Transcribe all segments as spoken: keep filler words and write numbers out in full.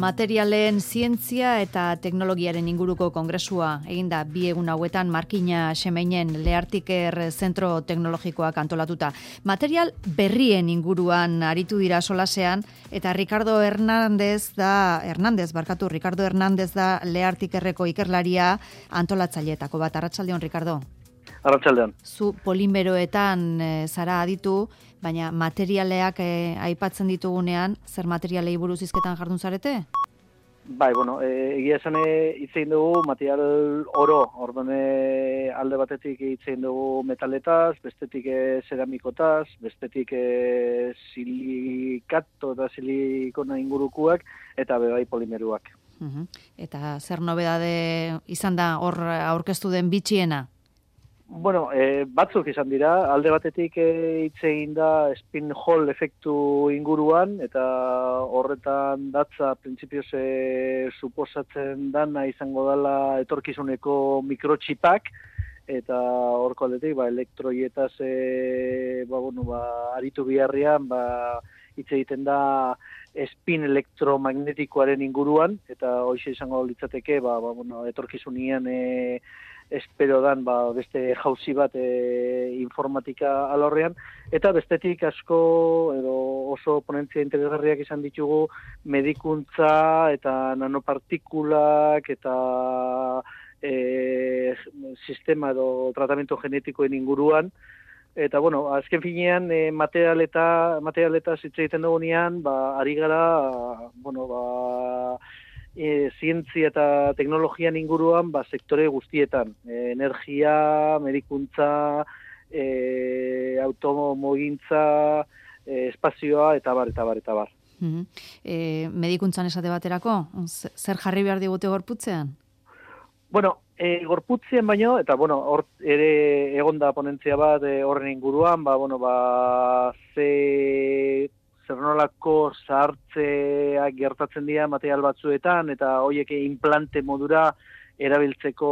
Materialen zientzia eta teknologiaren inguruko kongresua eginda bi egun hauetan Markina Xemeinen Leartiker Zentro Teknologikoak antolatuta. Material berrien inguruan aritu dira solasean eta Ricardo Hernández da Hernández barkatu Ricardo Hernández da Leartikerreko ikerlaria antolatzaileetako bat. Arratsaldeon, Ricardo. Arratsaldean. Zu polimeroetan e, zara aditu, baina materialeak e, aipatzen ditugunean, zer materialei buruz hizketan jardun zarete? Bai, bueno, e, egia esan hitz egin dugu material oro, orduan e, alde batetik hitz egin dugu metaletaz, bestetik e, ceramikotaz, bestetik e, silikato eta silikona ingurukuak, eta bebai polimeruak. Uh-huh. Eta zer nobedade izan da hor aurkeztu den bitxiena? Bueno, e, batzuk izan dira, alde batetik hitz egin da spin hole efektu inguruan, eta horretan datza printzipioz e, suposatzen dana izango dela etorkizuneko mikrotxipak, eta horko aldetik, ba, elektroietaz e, ba, bueno, ba, aritu biharrian, ba, hitz egiten da spin elektromagnetikoaren inguruan, eta hoxe izango litzateke, ba, ba, bueno, etorkizunian e, espero dan ba, beste jauzi bat e, informatika alorrean, eta bestetik asko edo oso ponentzia interesgarriak izan ditugu medikuntza eta nanopartikulak eta e, sistema edo tratamentu genetikoen inguruan. Eta, bueno, azken finean, e, materialeta, materialeta hitz egiten dugunean, ba, ari gara, bueno, ba, E, zientzia eta teknologian inguruan ba, sektore guztietan. E, energia, medikuntza, e, automogintza, e, espazioa, eta bar, eta bar, eta bar. Mm-hmm. E, medikuntzan esate baterako, zer jarri behar digute gorputzean? Bueno, e, gorputzien baino, eta bueno, hor ere egonda ponentzia bat e, horren inguruan, ba, bueno, ba, ze... zer nolako zahartzeak gertatzen dira material batzuetan, eta horiek implante modura erabiltzeko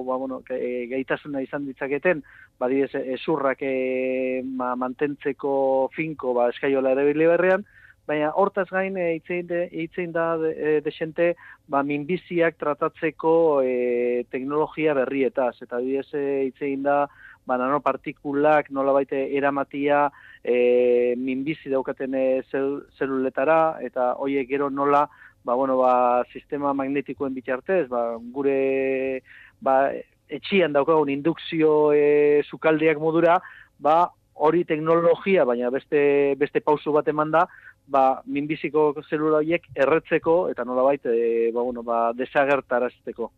ba, bueno, gaitasuna izan ditzaketen, badidez, ezurrak e, ma, mantentzeko finko ba, eskaiola erabili berrean, baina hortaz gain hitzein da e, desente ba, minbiziak tratatzeko e, teknologia berrietaz, eta bidez hitzein da ba, nanopartikulak nolabait eramatia e, minbizi daukaten e, zel, zeluletara, eta horiek gero nola ba, bueno, ba, sistema magnetikoen bitartez, ba, gure ba, etxian daukagun indukzio e, sukaldeak modura, ba, hori teknologia, baina beste, beste pausu bat eman da, ba, minbiziko zelula horiek erretzeko, eta nolabait e, ba, bueno, ba, desagertarazteko.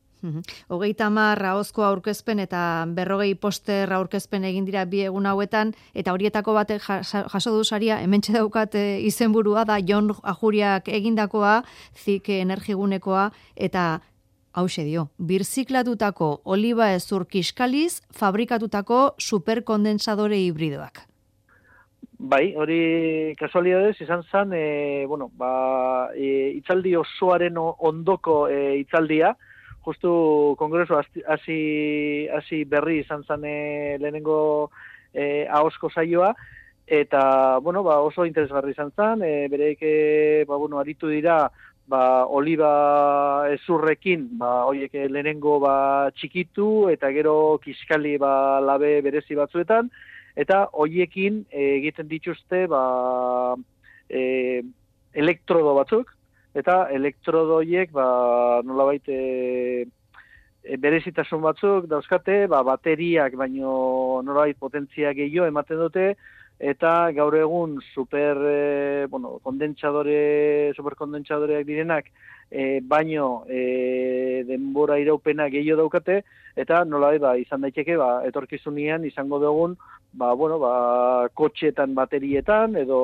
Hogeita hamar ahozko aurkezpen eta berrogei poster aurkezpen egin dira bi egun hauetan, eta horietako batek jaso du saria, hementxe daukat izenburua da Jon Ajuriak egindakoa, zik energigunekoa, eta hauxe dio, birziklatutako oliba hezur kiskaliz fabrikatutako superkondensadore hibridoak. Bai, hori kasualidadez izan zen, e, bueno, ba, e, itzaldi osoaren ondoko e, itzaldia, justu kongresu hasi hasi berri izan zen e, lehenengo e, ahozko saioa, eta bueno, ba, oso interesgarri izan zen, e, bereik e, ba, bueno, aritu dira ba, oliba ezurrekin, ba, horiek lehenengo ba, txikitu, eta gero kiskali ba, labe berezi batzuetan, eta horiekin e, egiten dituzte ba, e, elektrodo batzuk, eta elektrodoiek ba, nolabait e, e, berezitasun batzuk dauzkate, ba, bateriak baino nolabait potentzia gehiago ematen dute, eta gaur egun super e, bueno, kondentsadore, superkondentsadoreak direnak e, baino e, denbora iraupena gehiago daukate, eta nolabait ba, izan daiteke ba, etorkizunean izango dugun ba, bueno, ba, kotxetan baterietan, edo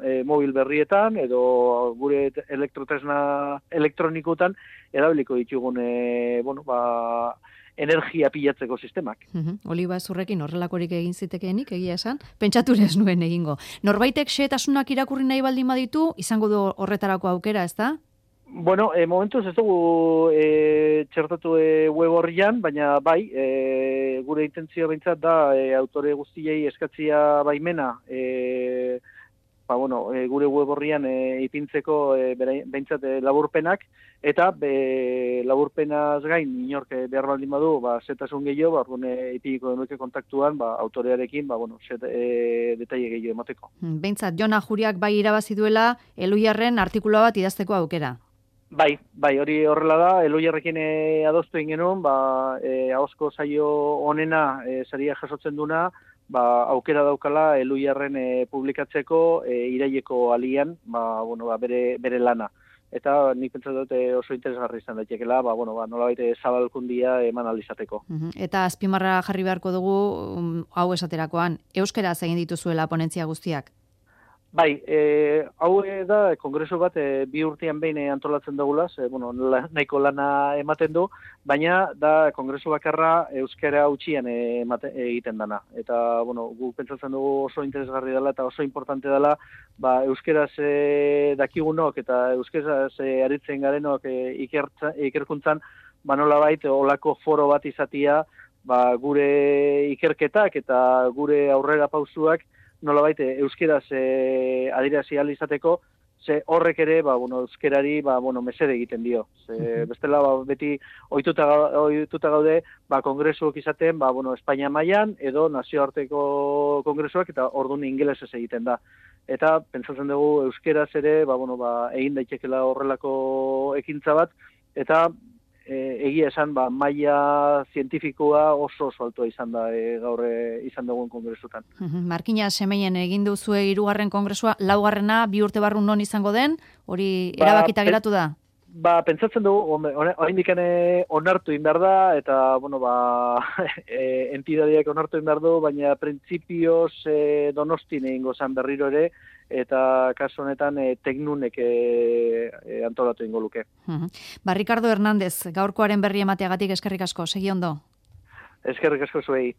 e, mobil berrietan, edo gure elektrotresna elektronikotan erabiliko ditugun e, bueno, ba, energia pilatzeko sistemak. Uh-huh. Oliba ezurrekin horrelakorik egin zitekeenik, egia esan, pentsatura ez nuen egingo. Norbaitek xehetasunak irakurri nahi baldin baditu, izango du horretarako aukera, ez da? Bueno, e, momentuz ez dugu e, txertatu e, web horrian, baina bai, e, gure intentzioa behintzat da e, autore guztiei eskatzia baimena e, ba, bueno, e, gure web horrian e, ipintzeko e, behintzat e, laburpenak, eta be, laburpenaz gain, inork e, behar baldin badu, ba, zetasun gehiago, ba, orduan ipiniko denuke kontaktuan, ba, autorearekin, ba, bueno, zet, e, detaile gehiago emateko. Behintzat, Jon Ajuriak bai irabazi duela, Eluiarren artikula bat idazteko aukera. Bai, bai, hori horrela da, Eluiarrekin e, adostu egin genuen, ba, e, ahozko saio honena e, saria jasotzen duna, ba, aukera daukala Eluiarren e, publikatzeko e, iraileko alian, ba, bueno, ba, bere, bere lana. Eta nik pentsatu dut e, oso interesgarri izan daitekeela, ba, bueno, ba, nolabait zabalkundia eman alizateko. Eta azpimarra jarri beharko dugu um, hau esaterakoan, euskaraz egin dituzuela ponentzia guztiak? Bai, e, hau da, kongreso bat e, bi urtean behin antolatzen dugula, e, bueno, nahiko lana ematen du, baina da kongreso bakarra euskara utxian e, emate, egiten dana. Eta, bueno, gu pentsatzen dugu oso interesgarri dela eta oso importante dela, ba, euskaraz e, dakigunok eta euskaraz e, aritzen garenok e, ikertza, ikerkuntzan, ba, nolabait, olako foro bat izatia, ba, gure ikerketak eta gure aurrera pausuak, nolabait euskeraz e, adirazi ahal izateko, ze horrek ere, ba, bueno, euskerari, ba, bueno, mesede egiten dio. Ze, bestela, ba, beti ohituta, ohituta gaude, ba, kongresuak izaten, ba, bueno, Espainia mailan edo nazioarteko kongresuak, eta orduan ingelesez egiten da. Eta, pentsatzen dugu, euskeraz ere, ba, bueno, ba, egin daitekela horrelako ekintza bat, eta E, egia esan, ba, maila zientifikoa oso oso altua izan da e, gaur e, izan dugun kongresutan. Markina Semeien egin duzue hirugarren kongresua, laugarrena bi urte barru non izango den, hori erabakita ba, geratu da? Ba, pentsatzen dugu, oraindik onartu egin behar da, eta, bueno, ba, e, entidadiak onartu egin behar du, baina printzipioz e, Donostin egingo zan berriro ere, eta kasu honetan e, teknunek e, e, antolatu ingo luke. Ba, Ricardo Hernández, gaurkoaren berri emateagatik eskerrik asko, segi ondo. Eskerrik asko zuei.